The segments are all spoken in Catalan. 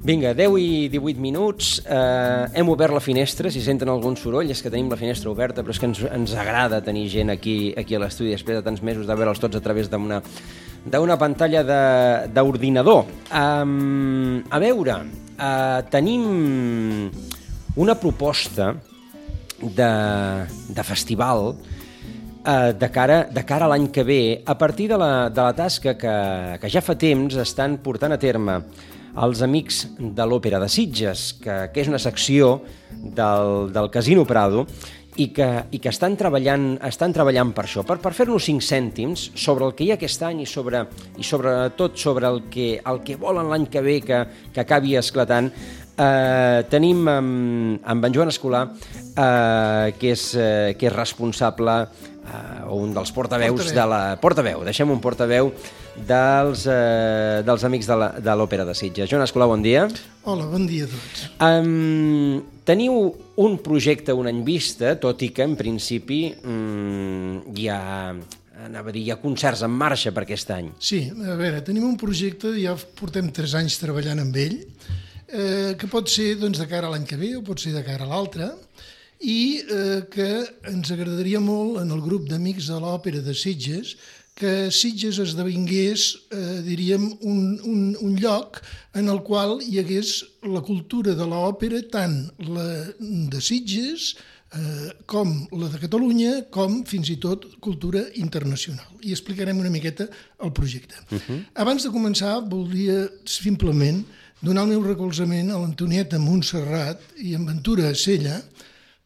Vinga, 10 i 18 minuts, hem obert la finestra, si senten algun soroll és que tenim la finestra oberta, però és que ens agrada tenir gent aquí a l'estudi després de tants mesos de veure'ls tots a través d'una pantalla d'ordinador. A veure, tenim una proposta de festival de cara a l'any que ve, a partir de la tasca que ja fa temps estan portant a terme els amics de l'Òpera de Sitges, que és una secció del Casino Prado i que estan treballant per això, per fer-nos 5 cèntims sobre el que hi ha aquest any i sobretot sobre el que volen l'any que ve que acabi esclatant. Tenim amb en Joan Escolà, que és responsable o un dels portaveus deixem un portaveu dels amics de l'Òpera de Sitges. Joan Escolà, bon dia. Hola, bon dia a tots. Teniu un projecte un any vista, tot i que en principi hi ha concerts en marxa per aquest any. Sí, a veure, tenim un projecte, ja portem 3 anys treballant amb ell, que pot ser de cara a l'any que ve o pot ser de cara a l'altre, i que ens agradaria molt en el grup d'amics de l'Òpera de Sitges que Sitges esdevingués, diríem, un lloc en el qual hi hagués la cultura de l'òpera, tant la de Sitges com la de Catalunya, com fins i tot cultura internacional. I explicarem una miqueta el projecte. Abans de començar, voldria simplement donar el meu recolzament a l'Antonieta Montserrat i en Ventura Sella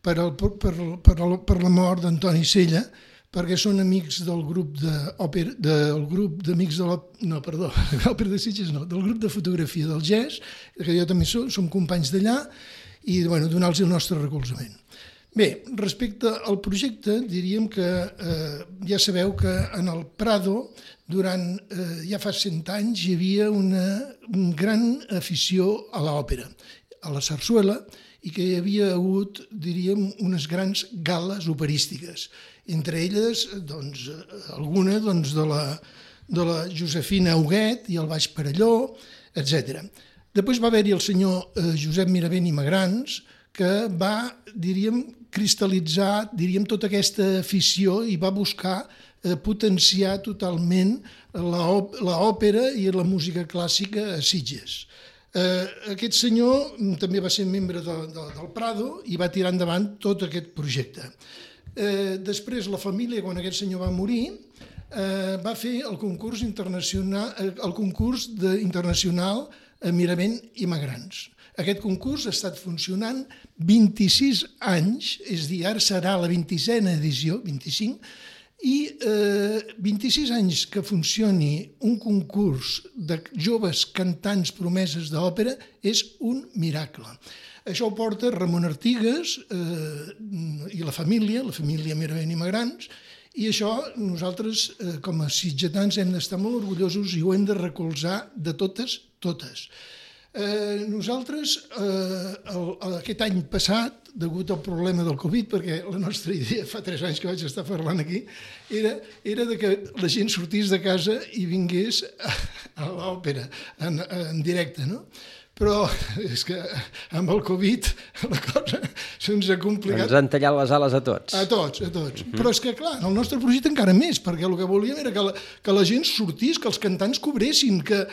per la mort d'Antoni Sella, perquè són amics del grup d'amics de l'Òpera de Sitges, no, del grup de fotografia del GES, que jo també som companys d'allà, i donar-los el nostre recolzament. Bé, respecte al projecte, diríem que ja sabeu que en el Prado, durant ja fa 100 anys, hi havia una gran afició a l'òpera, a la sarsuela, i que hi havia hagut, diríem, unes grans gales operístiques. Entre elles, alguna de la Josefina Huguet i el Baix Perelló, etc. Després va haver-hi el senyor Josep Miravent i Magrans, que va, diríem, cristal·litzar, tota aquesta afició i va buscar potenciar totalment l'òpera i la música clàssica a Sitges. Aquest senyor també va ser membre del Prado i va tirar endavant tot aquest projecte. Després la família, quan aquest senyor va morir, va fer el concurs internacional a Miravent i Magrans. Aquest concurs ha estat funcionant 26 anys, és a dir, ara serà la 26a edició, 25, i 26 anys que funcioni un concurs de joves cantants promeses d'òpera és un miracle. Això ho porta Ramon Artigas i la família Miravent i Magrans, i això nosaltres, com a sitgetans, hem d'estar molt orgullosos i ho hem de recolzar de totes. Nosaltres, aquest any passat, degut al problema del Covid, perquè la nostra idea, fa 3 anys que vaig estar parlant aquí, era que la gent sortís de casa i vingués a l'òpera en directe, no? Però és que amb el Covid la cosa se'ns ha complicat. Ens han tallat les ales a tots. A tots. Però és que, clar, el nostre projecte encara més, perquè el que volíem era que la gent sortís, que els cantants cobressin, que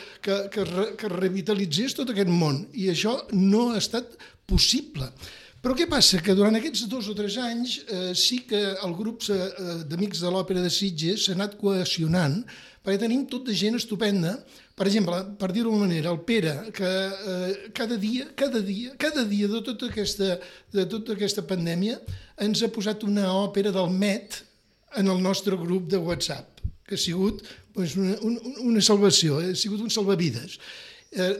revitalitzés tot aquest món. I això no ha estat possible. Però què passa? Que durant aquests 2 o 3 anys sí que el grup d'amics de l'Òpera de Sitges s'ha anat cohesionant, perquè tenim tot de gent estupenda. Per exemple, per dir-ho d'una manera, el Pere, que cada dia de tota aquesta pandèmia ens ha posat una òpera del Met en el nostre grup de WhatsApp, que ha sigut una salvació, ha sigut un salvavides.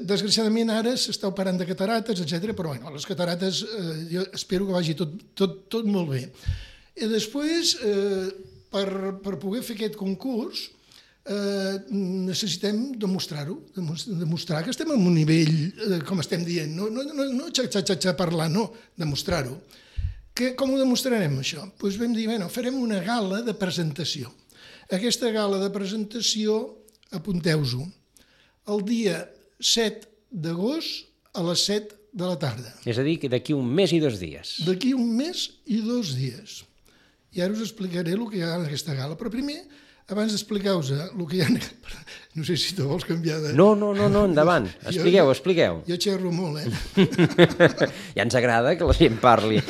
Desgraciadament ara s'està operant de catarates, etc. Però les catarates jo espero que vagi tot molt bé. I després, per poder fer aquest concurs, necessitem demostrar-ho, demostrar que estem en un nivell, com estem dient, no xa parlar, no, demostrar-ho. Com ho demostrarem, això? Doncs vam dir, farem una gala de presentació. Aquesta gala de presentació, apunteu-ho, el dia 7 d'agost a les 7 de la tarda. És a dir, que d'aquí un mes i 2 dies. D'aquí un mes i 2 dies. I ara us explicaré el que hi ha en aquesta gala. Però primer, abans d'explicar-vos el que hi ha... No sé si tu vols canviar de... No, endavant. Expliqueu. Jo xerro molt, Ja ens agrada que la gent parli.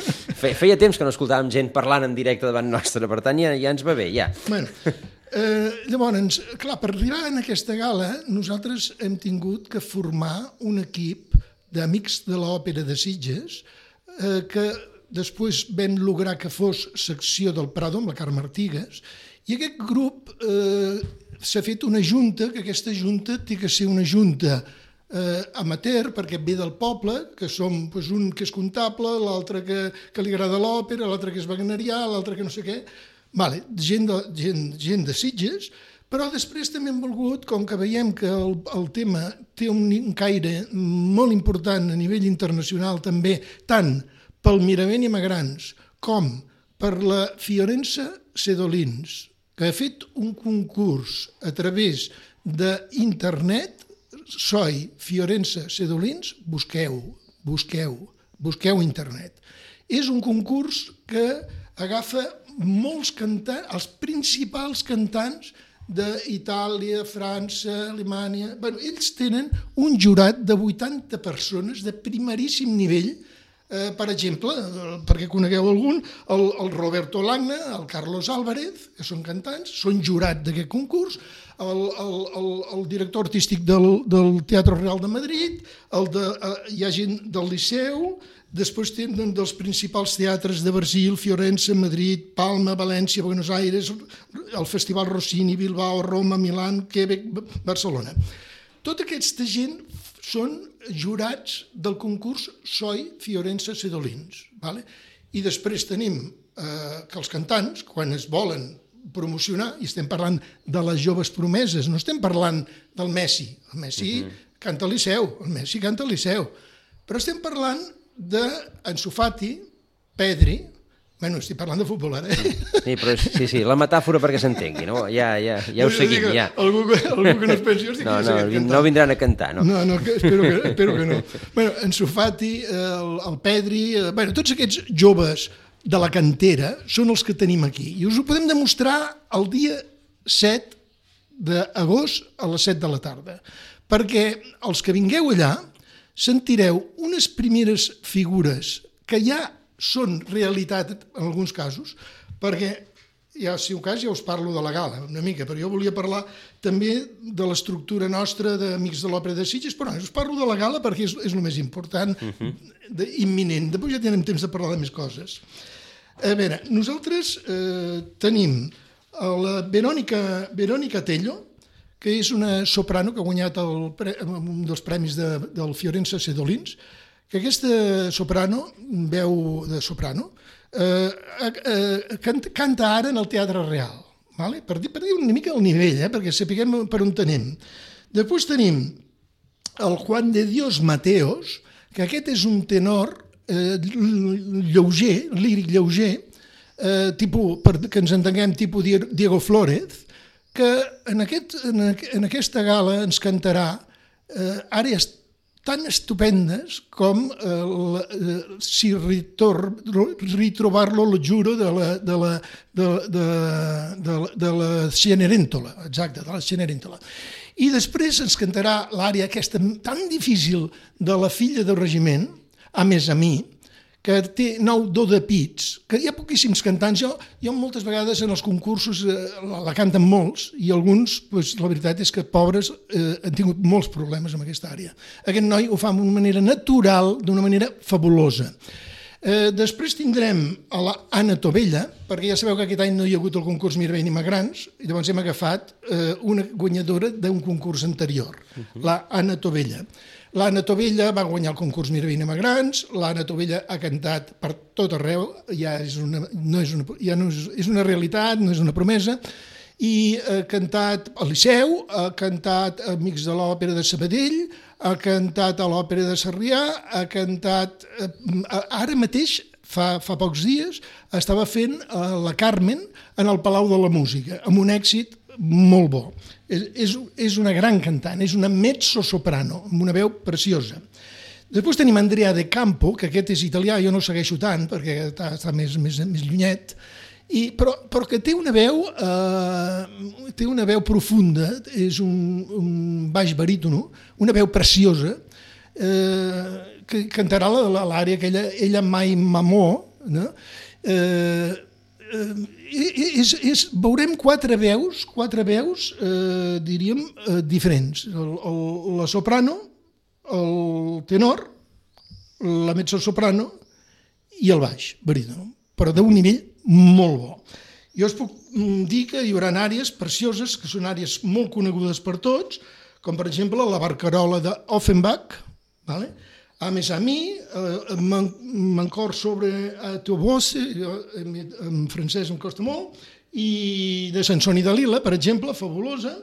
Feia temps que no escoltàvem gent parlant en directe davant nostre, per tant ja ens va bé, ja. Bueno, llavors, clar, per arribar a aquesta gala, nosaltres hem tingut que formar un equip d'amics de l'Òpera de Sitges que després vam lograr que fos secció del Prado amb la Carme Artigas, i aquest grup s'ha fet una junta, que aquesta junta té que ser una junta amateur, perquè ve del poble, que som un que és comptable, l'altre que li agrada l'òpera, l'altre que és wagnerià, l'altre que no sé què, gent de Sitges, però després també hem volgut, com que veiem que el tema té un caire molt important a nivell internacional també, tant pel Miravent i Magrans com per la Fiorenza Sedolins, que ha fet un concurs a través d'internet, Soi Fiorenza Sedolins, busqueu internet. És un concurs que agafa molts cantants, els principals cantants d'Itàlia, França, Alemanya... Ells tenen un jurat de 80 persones de primeríssim nivell, per exemple, perquè conegueu algun, el Roberto Lagna, el Carlos Álvarez, que són cantants, són jurat d'aquest concurs, el director artístic del Teatre Real de Madrid, hi ha gent del Liceu, després tenen dels principals teatres de Brasil, Fiorenza, Madrid, Palma, València, Buenos Aires, el Festival Rossini, Bilbao, Roma, Milán, Quebec, Barcelona. Tota aquesta gent són jurats del concurs Soi Fiorenza Sedolins. I després tenim que els cantants, quan es volen promocionar, i estem parlant de les joves promeses, no estem parlant del Messi. El Messi canta al Liceu, però estem parlant d'Ansu Fati, Pedri, estic parlant de futbol ara. Sí, la metàfora perquè s'entengui, no? Ja ho seguim, ja. Algú que no es pensi, jo estic cantant. No vindran a cantar, no? No, espero que no. Ansu Fati, el Pedri, tots aquests joves de la cantera són els que tenim aquí. I us ho podem demostrar el dia 7 d'agost a les 7 de la tarda. Perquè els que vingueu allà sentireu unes primeres figures que ja són realitat en alguns casos, perquè si un cas ja us parlo de la gala una mica, però jo volia parlar també de l'estructura nostra d'Amics de l'Òpera de Sitges, però us parlo de la gala perquè és el més important, imminent. Després ja tindrem temps de parlar de més coses. A veure, nosaltres tenim la Verónica Tello, que és una soprano que ha guanyat un dels premis del Fiorenza Sedolins, que aquesta soprano, veu de soprano, canta ara en el Teatre Real, per dir una mica el nivell, perquè sapiguem per on tenim. Després tenim el Juan de Dios Mateos, que aquest és un tenor lleuger, líric lleuger, que ens entenguem tipus Diego Flórez, que en aquesta gala ens cantarà àrees tan estupendes com Si ritrovarlo lo giuro de la Cenerentola, exacte, de la Cenerentola. I després ens cantarà l'àrea aquesta tan difícil de la filla del regiment, A més a mi, que té 9 do de pits, que hi ha poquíssims cantants. Jo moltes vegades en els concursos la canten molts i alguns, la veritat és que pobres han tingut molts problemes amb aquesta àrea. Aquest noi ho fa d'una manera natural, d'una manera fabulosa. Després tindrem a l'Anna Tovella, perquè ja sabeu que aquest any no hi ha hagut el concurs Miravent i Magrans, i llavors hem agafat una guanyadora d'un concurs anterior, l'Anna Tovella. L'Anna Tovella va guanyar el concurs Miravent i Magrans, l'Anna Tovella ha cantat per tot arreu, ja és una realitat, no és una promesa, i ha cantat al Liceu, ha cantat a Amics de l'Òpera de Sabadell, ha cantat a l'Òpera de Sarrià, ha cantat... Ara mateix, fa pocs dies, estava fent la Carmen en el Palau de la Música, amb un èxit molt bo. És una gran cantant, és una mezzo-soprano, amb una veu preciosa. Després tenim Andrea De Campo, que aquest és italià, jo no el segueixo tant, perquè està més llunyet, però que té una veu profunda, és un baix barítono, una veu preciosa, que cantarà l'àrea que ella mai m'amó, no? Veurem quatre veus, diríem, diferents. La soprano, el tenor, la mezzosoprano i el baix barítono, però d'un nivell molt bo. Jo us puc dir que hi haurà àrees precioses, que són àrees molt conegudes per tots, com per exemple la barcarola d'Offenbach, a més a mi, m'encor sobre a teu voce, en francès em costa molt, i de Sansón i Dalila, per exemple, fabulosa,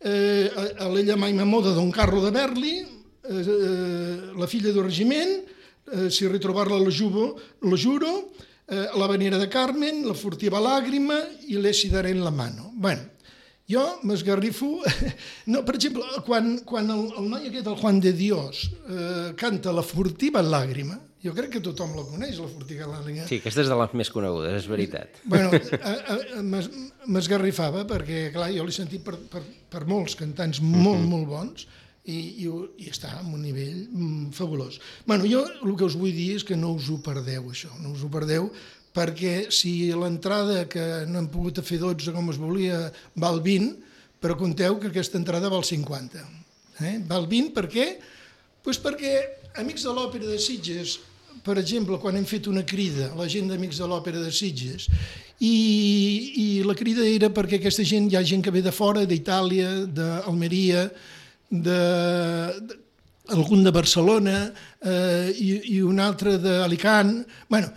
a l'Ella mai m'amó de Don Carlo de Berli, la filla del regiment, si ritrobar-la lo juro, la Venera de Carmen, la furtiva làgrima i l'Essi daré en la mano. Bé, jo m'esgarrifo... No, per exemple, quan el noi aquest, el Juan de Dios, canta la furtiva làgrima, jo crec que tothom la coneix, la furtiva làgrima. Sí, aquesta és de les més conegudes, és veritat. Bueno, m'esgarrifava perquè, clar, jo l'he sentit per molts cantants molt bons, i està en un nivell fabulós. Bueno, jo el que us vull dir és que no us ho perdeu, això, no us ho perdeu, perquè si l'entrada, que no hem pogut fer 12 com es volia, val 20, però compteu que aquesta entrada val 50. Val 20 per què? Doncs perquè Amics de l'Òpera de Sitges, per exemple, quan hem fet una crida, la gent d'Amics de l'Òpera de Sitges, i la crida era perquè aquesta gent, hi ha gent que ve de fora, d'Itàlia, d'Almeria, algun de Barcelona i un altre d'Alicant. Bueno,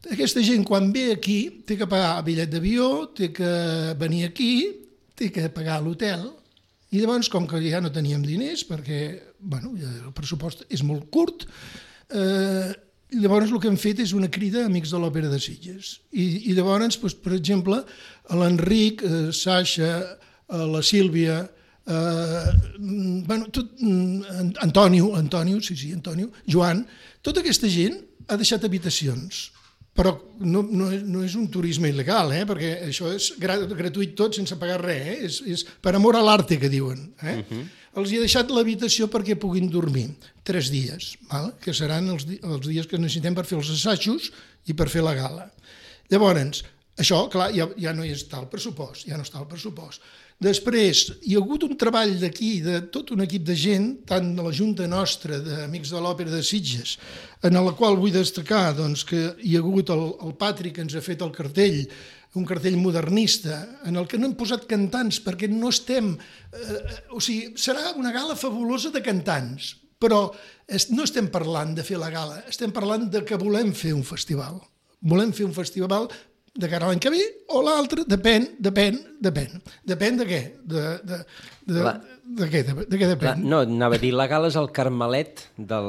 aquesta gent quan ve aquí té que pagar bitllet d'avió, té que venir aquí, té que pagar l'hotel, i llavors, com que ja no teníem diners, perquè el pressupost és molt curt, llavors el que hem fet és una crida a Amics de l'Òpera de Sitges. I llavors, per exemple, l'Enric, Sasha, la Sílvia, Antonio, Joan, tota aquesta gent ha deixat habitacions, però no és un turisme il·legal, perquè això és gratuït tot sense pagar res, és per amor a l'arte que diuen. Els hi ha deixat l'habitació perquè puguin dormir 3 dies, que seran els dies que necessitem per fer els assajos i per fer la gala. Llavors, això, clar, ja no hi està el pressupost, ja no està el pressupost. Després, hi ha hagut un treball d'aquí, de tot un equip de gent, tant de la Junta nostra d'Amics de l'Òpera de Sitges, en la qual vull destacar que hi ha hagut el Patri, que ens ha fet el cartell, un cartell modernista, en el que no hem posat cantants, perquè no estem... O sigui, serà una gala fabulosa de cantants, però no estem parlant de fer la gala, estem parlant de que volem fer un festival. Volem fer un festival de cara a l'any que ve o l'altre, depèn. Depèn de què? De què depèn? No, anava a dir, la gala és el Carmelet del...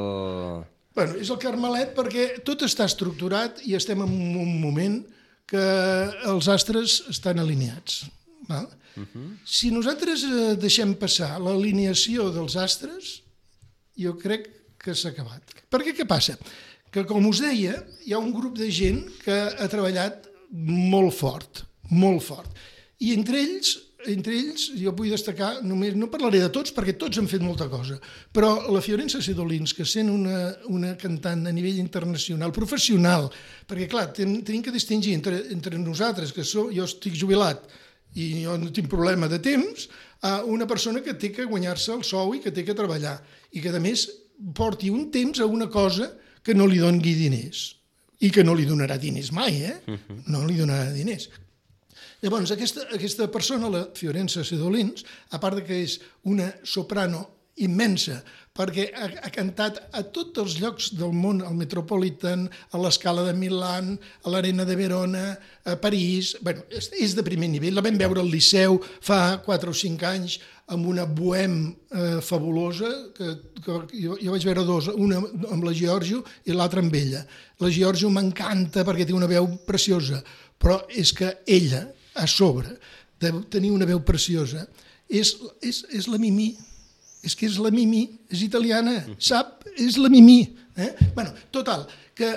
Bueno, és el Carmelet perquè tot està estructurat i estem en un moment que els astres estan alineats. Si nosaltres deixem passar l'alineació dels astres, jo crec que s'ha acabat. Perquè què passa? Que, com us deia, hi ha un grup de gent que ha treballat molt fort. I entre ells jo vull destacar, només no parlaré de tots perquè tots han fet molta cosa, però la Fiorenza Sedolins, que sent una cantant a nivell internacional, professional, perquè clar, tenim que distingir entre nosaltres, que jo estic jubilat i jo no tinc problema de temps, a una persona que té que guanyar-se el sou i que té que treballar, i que a més porti un temps a una cosa que no li doni diners. i que no li donarà diners mai, no li donarà diners. Llavors, aquesta persona, la Fiorenza Sedolins, a part que és una soprano immensa, perquè ha cantat a tots els llocs del món, al Metropolitan, a l'Escala de Milà, a l'Arena de Verona, a París. Bueno, és de primer nivell. La vam veure al Liceu fa 4 o 5 anys amb una bohème fabulosa, que jo vaig veure dos, una amb la Giorgio i l'altra amb ella. La Giorgio m'encanta perquè té una veu preciosa, però és que ella, a sobre de tenir una veu preciosa, és la Mimí. És que és la Mimí, és italiana, sap? És la Mimí. Bueno, total, que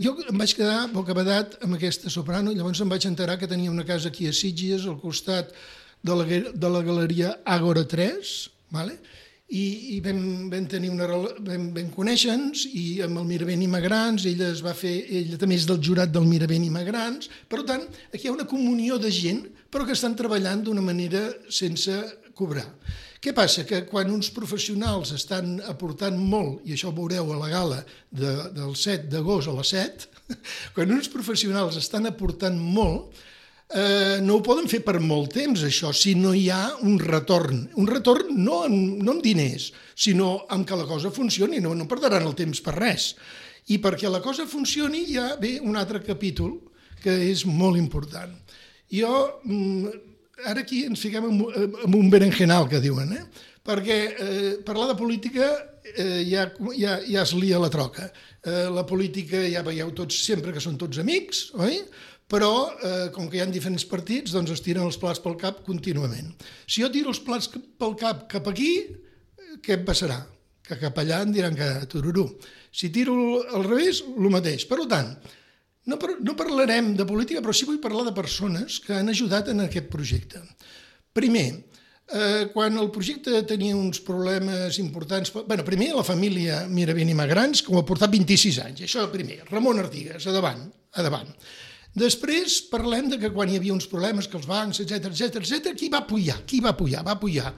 jo em vaig quedar bocabadat amb aquesta soprano, llavors em vaig enterar que tenia una casa aquí a Sitges, al costat de la galeria Ágora 3, vale? I vam conèixer-nos, i amb el Miravent Immigrants, ella també és del jurat del Miravent Immigrants, per tant, aquí hi ha una comunió de gent, però que estan treballant d'una manera sense cobrar. Què passa? Que quan uns professionals estan aportant molt, i això ho veureu a la gala del 7 d'agost a les 7, quan uns professionals estan aportant molt, no ho poden fer per molt temps, això, si no hi ha un retorn. Un retorn no amb diners, sinó amb que la cosa funcioni, no perdran el temps per res. I perquè la cosa funcioni hi ha un altre capítol que és molt important. Ara aquí ens fiquem en un berenjenal, que diuen, perquè parlar de política ja es lia la troca. La política ja veieu tots sempre que són tots amics, oi? Però, com que hi ha diferents partits, doncs es tiren els plats pel cap contínuament. Si jo tiro els plats pel cap cap aquí, què em passarà? Que cap allà em diran que tururú. Si tiro al revés, el mateix. Per tant, no parlarem de política, però sí vull parlar de persones que han ajudat en aquest projecte. Primer, quan el projecte tenia uns problemes importants... Primer, la família Miravent Immigrants, que ho ha portat 26 anys. Això primer. Ramon Artigas, a davant. Després parlem de que quan hi havia uns problemes, que els bancs, etc., qui va apoyar? Va apoyar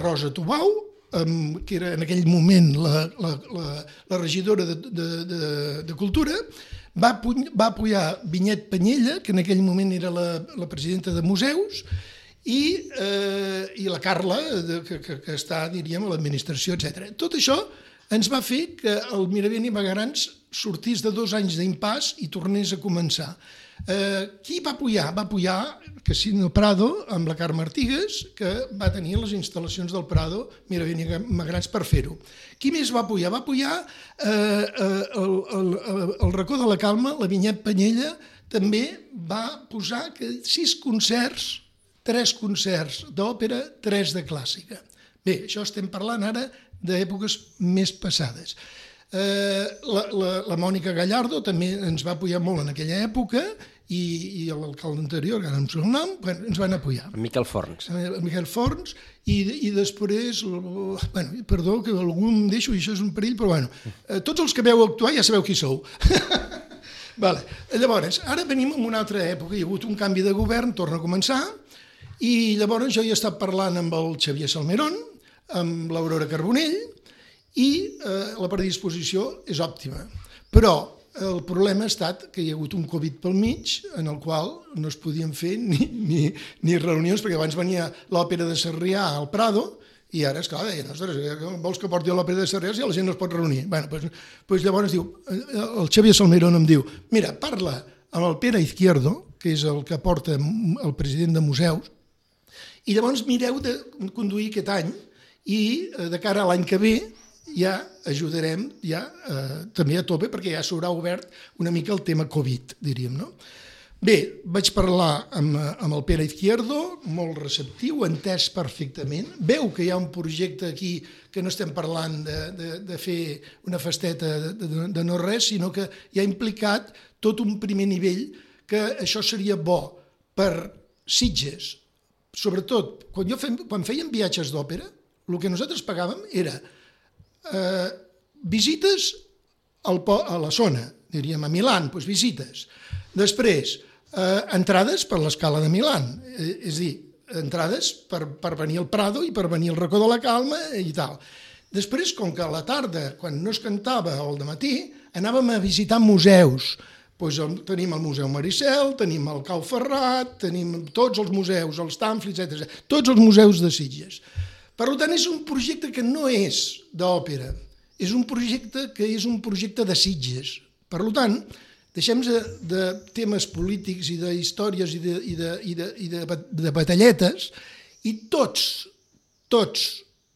Rosa Tubau, que era en aquell moment la regidora de Cultura, va apoyar Vinyet Penyella, que en aquell moment era la presidenta de Museus, i la Carla, que està, diríem, a l'administració, etc. Tot això ens va fer que el Miravent Immigrants sortís de 2 anys d'impàs i tornés a començar. Qui va apoyar? Va apoyar Casino Prado amb la Carme Artigas, que va tenir les instal·lacions del Prado Miravent Immigrants per fer-ho. Qui més va apoyar? Va apoyar el Racó de la Calma, la Vinyet Penyella, també va posar 6 concerts, 3 concerts d'òpera, 3 de clàssica. Bé, això estem parlant ara d'èpoques més passades. La Mònica Gallardo també ens va apoyar molt en aquella època, i l'alcalde anterior, que ara no em surt el nom, ens van apoyar. El Miquel Forns. El Miquel Forns, i després, perdó, que algú em deixo, i això és un perill, però tots els que veu actuar ja sabeu qui sou. Llavors, ara venim en una altra època, hi ha hagut un canvi de govern, torna a començar, i llavors jo he estat parlant amb el Xavier Salmerón, amb l'Aurora Carbonell, i la predisposició és òptima. Però el problema ha estat que hi ha hagut un Covid pel mig, en el qual no es podien fer ni reunions, perquè abans venia l'òpera de Sarrià al Prado, i ara, esclar, deien, ostres, vols que porti l'òpera de Sarrià si la gent no es pot reunir? Doncs llavors diu, el Xavier Salmerón em diu, mira, parla amb el Pere Izquierdo, que és el que porta el president de Museus, i llavors mireu de conduir aquest any, i de cara a l'any que ve ja ajudarem també a tope, perquè ja s'haurà obert una mica el tema Covid, diríem, no? Bé, vaig parlar amb el Pere Izquierdo, molt receptiu, entès perfectament, veu que hi ha un projecte aquí que no estem parlant de fer una festeta de no res, sinó que hi ha implicat tot un primer nivell, que això seria bo per Sitges. Sobretot, quan fèiem viatges d'òpera, el que nosaltres pagàvem era visites a la zona, diríem a Milán, doncs visites. Després, entrades per l'Escala de Milán, és a dir, entrades per venir al Prado i per venir al Racó de la Calma i tal. Després, com que a la tarda, quan no es cantava o al dematí, anàvem a visitar museus. Doncs tenim el Museu Maricel, tenim el Cau Ferrat, tenim tots els museus, els Tamfli, etc. Tots els museus de Sitges. Per tant, és un projecte que no és d'òpera, és un projecte que és un projecte de Sitges. Per tant, deixem de temes polítics i d'històries i de batalletes, i tots,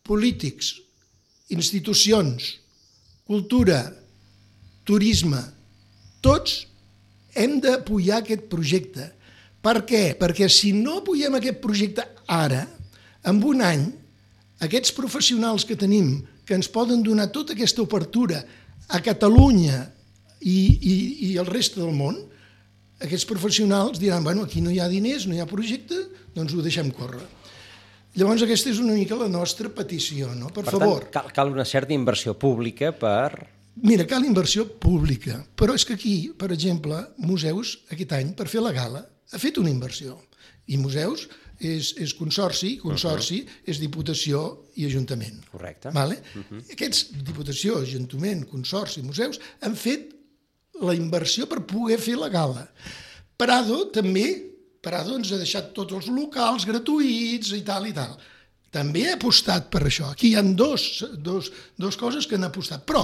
polítics, institucions, cultura, turisme, tots hem d'apoyar aquest projecte. Per què? Perquè si no apoyem aquest projecte ara, en un any, aquests professionals que tenim, que ens poden donar tota aquesta obertura a Catalunya i al reste del món, aquests professionals diran, bueno, aquí no hi ha diners, no hi ha projecte, doncs ho deixem córrer. Llavors aquesta és una mica la nostra petició, no? Per favor. Per tant, cal una certa inversió pública per... Mira, cal inversió pública, però és que aquí, per exemple, Museus, aquest any, per fer la gala, ha fet una inversió. I Museus és consorci és Diputació i Ajuntament. Correcte. Aquests, Diputació, Ajuntament, Consorci, Museus, han fet la inversió per poder fer la gala. Prado també, Prado ens ha deixat tots els locals gratuïts i tal. També ha apostat per això. Aquí hi ha dos coses que han apostat. Però,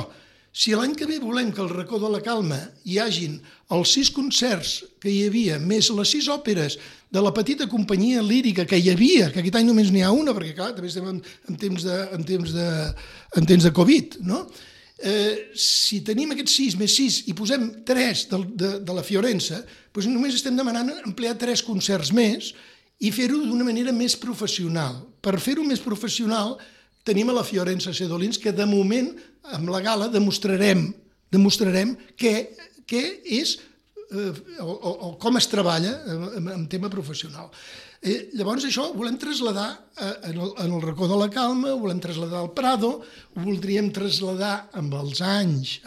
si l'any que ve volem que al Racó de la Calma hi hagin els 6 concerts que hi havia, més les 6 òperes de la petita companyia lírica que hi havia, que aquest any només n'hi ha una, perquè clar, també estem en temps de Covid, no? Si tenim aquests 6 més 6 i posem 3 de la Fiorenza, doncs només estem demanant emplear 3 concerts més i fer-ho d'una manera més professional. Per fer-ho més professional tenim a la Fiorenza Sedolins, que de moment, amb la gala, demostrarem què és o com es treballa en tema professional. Llavors això ho volem traslladar en el Racó de la Calma, ho volem traslladar al Prado, ho voldríem traslladar amb els anys,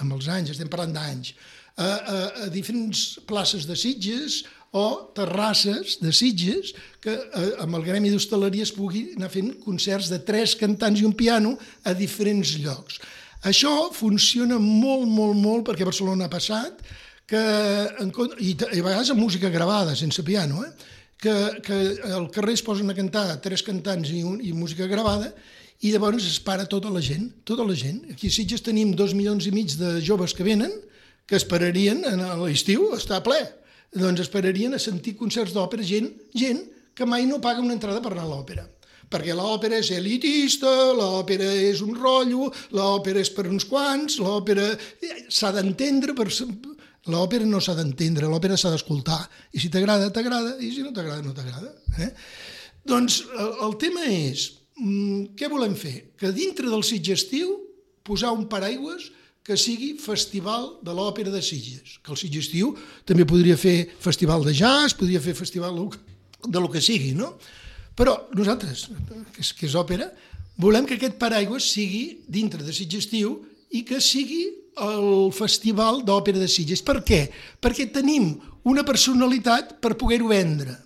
estem parlant d'anys, a diferents places de Sitges o terrasses de Sitges que amb el Gremi d'Hostaleria es pugui anar fent concerts de 3 cantants i un piano a diferents llocs. Això funciona molt, perquè a Barcelona ha passat, i a vegades amb música gravada, sense piano, que al carrer es posen a cantar 3 cantants i música gravada i llavors es para tota la gent. Aquí a Sitges tenim 2,5 milions de joves que venen, que esperarien a l'estiu, està ple, doncs esperarien a sentir concerts d'òpera, gent que mai no paga una entrada per anar a l'òpera. Perquè l'òpera és elitista, l'òpera és un rotllo, l'òpera és per uns quants, l'òpera s'ha d'entendre, l'òpera no s'ha d'entendre, l'òpera s'ha d'escoltar. I si t'agrada, t'agrada, i si no t'agrada, no t'agrada. Doncs el tema és, què volem fer? Que dintre del Sitges estiu posar un paraigües que sigui Festival de l'Òpera de Sitges. Que el Sitges estiu també podria fer festival de jazz, podria fer festival de lo que sigui, no? Però nosaltres, que és òpera, volem que aquest paraigües sigui dintre de Sitges estiu i que sigui el Festival d'Òpera de Sitges. Per què? Perquè tenim una personalitat per poder-ho vendre.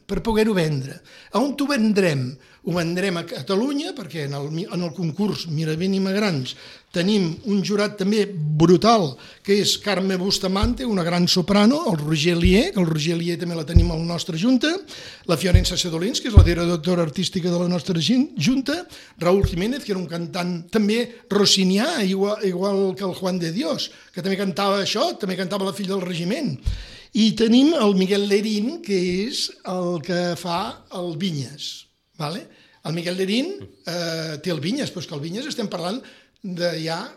On ho vendrem? Ho vendrem a Catalunya, perquè en el concurs Miravent i Magrans tenim un jurat també brutal, que és Carme Bustamante, una gran soprano, el Roger Lier, que el Roger Lier també la tenim a la nostra junta, la Fiorenza Sedolins, que és la directora artística de la nostra junta, Raúl Jiménez, que era un cantant també rossinià, igual que el Juan de Dios, que també cantava això, també cantava La filla del regiment. I tenim el Miguel Lerín, que és el que fa el Vinyes. El Miguel Lerín té el Vinyes, però és que el Vinyes estem parlant de ja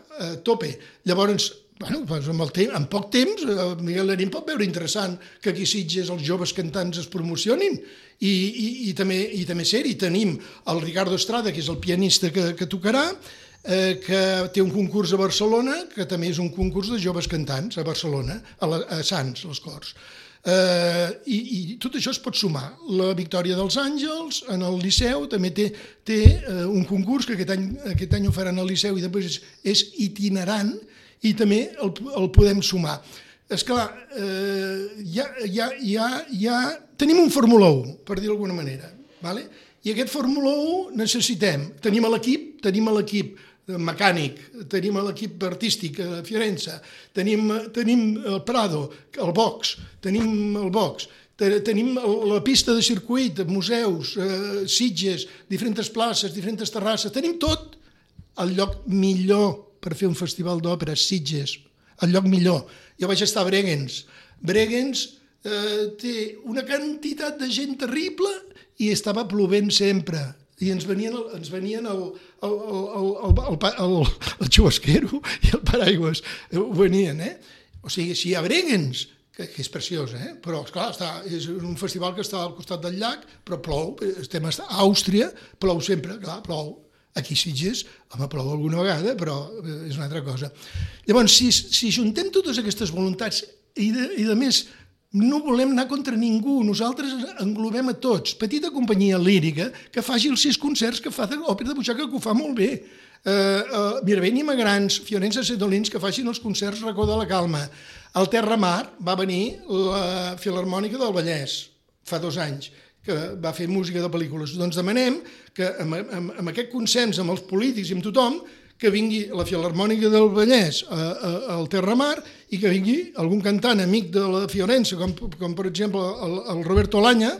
tope. Llavors, en poc temps, el Miguel Lerín pot veure interessant que aquí a Sitges els joves cantants es promocionin i també ser-hi. Tenim el Ricardo Estrada, que és el pianista que tocarà, que té un concurs a Barcelona, que també és un concurs de joves cantants a Barcelona, a Sants, les Corts. I tot això es pot sumar. La Victòria dels Àngels, en el Liceu, també té un concurs que aquest any ho faran al Liceu i després és itinerant i també el podem sumar. Esclar, ja tenim un Fórmula 1, per dir d'alguna manera, i aquest Fórmula 1 necessitem, tenim l'equip mecànic, tenim l'equip artístic a Fiorenza, tenim el Prado, el box, tenim la pista de circuit, museus, Sitges, diferents places, diferents terrasses, tenim tot. El lloc millor per fer un festival d'òpera, Sitges, el lloc millor. Jo vaig estar a Bregenz. Bregenz té una quantitat de gent terrible i estava plovent sempre. I ens venien el xubasquero i el paraigües. Ho venien, O sigui, si hi ha Bregenz, que és preciós, però, esclar, és un festival que està al costat del llac, però plou, estem a Àustria, plou sempre, clar, plou. Aquí a Sitges, home, plou alguna vegada, però és una altra cosa. Llavors, si juntem totes aquestes voluntats i a més no volem anar contra ningú, nosaltres englobem a tots. Petita companyia lírica que faci els 6 concerts que fa l'òpera de butxaca, que ho fa molt bé. Mirabent i Magrans, Fiorenza Sedolins, que facin els concerts Racó de la Calma. Al Terra Mar va venir la Filharmònica del Vallès, fa 2 anys, que va fer música de pel·lícules. Doncs demanem que amb aquest consens amb els polítics i amb tothom, que vingui la Filharmònica del Vallès al Terra Mar i que vingui algun cantant amic de la Fiorenza, com per exemple el Roberto Olaña,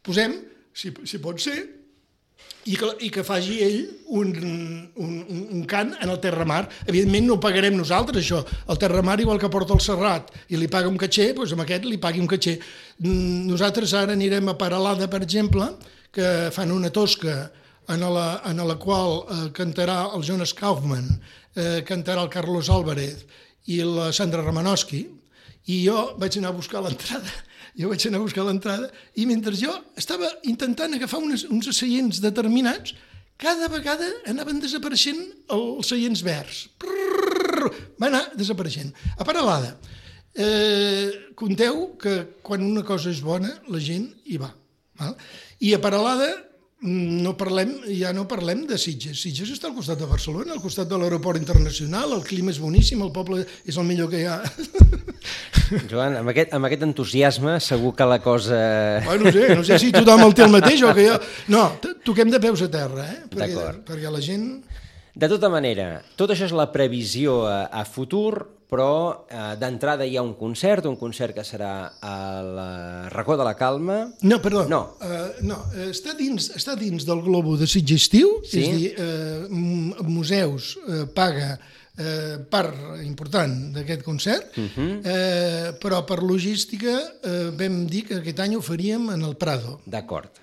posem, si pot ser, i que faci ell un cant en el Terra Mar. Evidentment no ho pagarem nosaltres, això. El Terra Mar, igual que porta el Serrat i li paga un caché, doncs amb aquest li pagui un caché. Nosaltres ara anirem a Peralada, per exemple, que fan una tosca en la qual cantarà el Jonas Kaufmann, cantarà el Carlos Álvarez i la Sandra Romanowski, i jo vaig anar a buscar l'entrada. I mentre jo estava intentant agafar uns seients determinats, cada vegada anaven desapareixent els seients verds. Va anar desapareixent. A Peralada, compteu que quan una cosa és bona, la gent hi va. I a Peralada ja no parlem de Sitges. Sitges està al costat de Barcelona, al costat de l'aeroport internacional, el clima és boníssim, el poble és el millor que hi ha. Joan, amb aquest entusiasme segur que la cosa... No sé si tothom el té el mateix o que jo... No, toquem de peus a terra, perquè la gent... De tota manera, tot això és la previsió a futur, però d'entrada hi ha un concert que serà a la Racó de la Calma... No, perdó, està dins del globo de Sitges Estiu, és a dir, museus paga part important d'aquest concert, però per logística vam dir que aquest any ho faríem en el Prado. D'acord.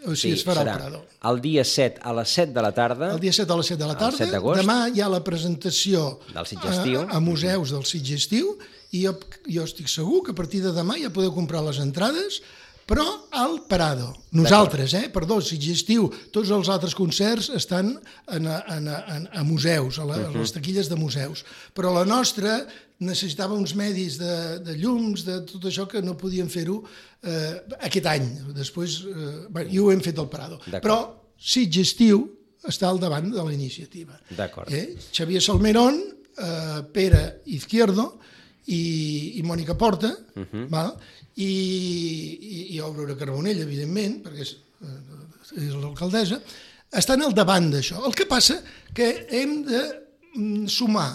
O sigui, es farà al Prado. El dia 7 a les 7 de la tarda. El dia 7 a les 7 de la tarda. Demà hi ha la presentació a museus del Sitges Estiu i jo estic segur que a partir de demà ja podeu comprar les entrades, però al Prado. Nosaltres, perdó, Sitges Estiu, tots els altres concerts estan a museus, a les taquilles de museus. Però la nostra necessitava uns medis de llums, de tot això que no podíem fer-ho aquest any. Després, i ho hem fet al Prado. Però Sitges Estiu està al davant de la iniciativa. Xavier Salmerón, Pere Izquierdo i Mònica Porta, i Aurora Carbonell, evidentment, perquè és l'alcaldessa, estan al davant d'això. El que passa que hem de sumar,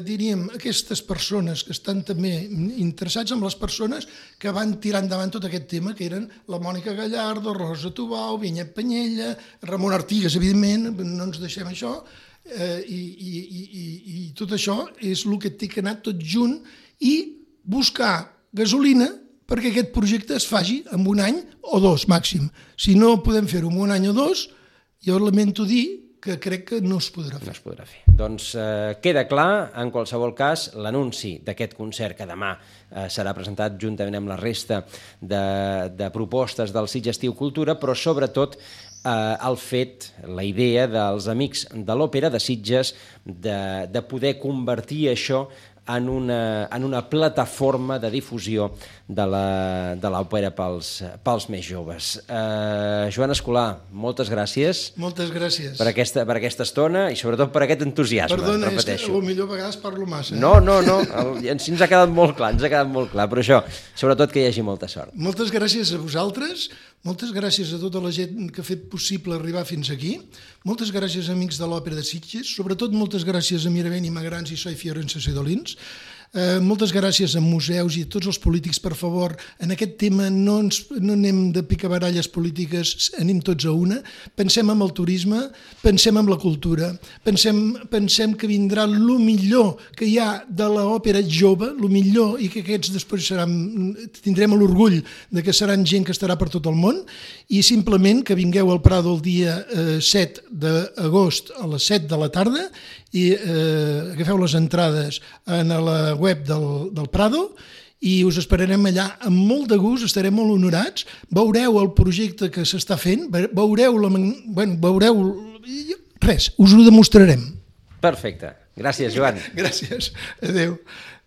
diríem, aquestes persones que estan també interessats en les persones que van tirar endavant tot aquest tema, que eren la Mònica Gallardo, Rosa Tubau, Vinyet Penyella, Ramon Artigas, evidentment, no ens deixem això, i tot això és el que té que anar tot junt i buscar gasolina perquè aquest projecte es faci en un any o 2 màxim. Si no podem fer-ho en un any o 2, jo lamento dir que crec que no es podrà fer. No es podrà fer. Doncs queda clar, en qualsevol cas, l'anunci d'aquest concert que demà serà presentat juntament amb la resta de propostes del Sitges Estiu Cultura, però sobretot el fet, la idea dels amics de l'òpera de Sitges de poder convertir això en una plataforma de difusió de l'òpera pels més joves. Joan Escolà, moltes gràcies. Moltes gràcies. Per aquesta estona i sobretot per aquest entusiasme. Perdona, és que potser a vegades parlo massa. No, ens ha quedat molt clar, però això, sobretot que hi hagi molta sort. Moltes gràcies a vosaltres, Moltes gràcies a tota la gent que ha fet possible arribar fins aquí. Moltes gràcies, amics de l'Òpera de Sitges. Sobretot moltes gràcies a Miravent i Magrans i Soy Fiorenza Sedolins. Moltes gràcies a museus i a tots els polítics. Per favor, en aquest tema no anem de picabaralles polítiques, anem tots a una. Pensem en el turisme, pensem en la cultura, pensem que vindrà el millor que hi ha de l'òpera jove, el millor, i que aquests després tindrem l'orgull de que seran gent que estarà per tot el món, i simplement que vingueu al Prado el dia 7 d'agost a les 7 de la tarda i agafeu les entrades en la web del Prado i us esperarem allà amb molt de gust, estarem molt honorats, veureu el projecte que s'està fent, veureu res, us ho demostrarem. Perfecte. Gràcies, Joan. Gràcies. Adéu.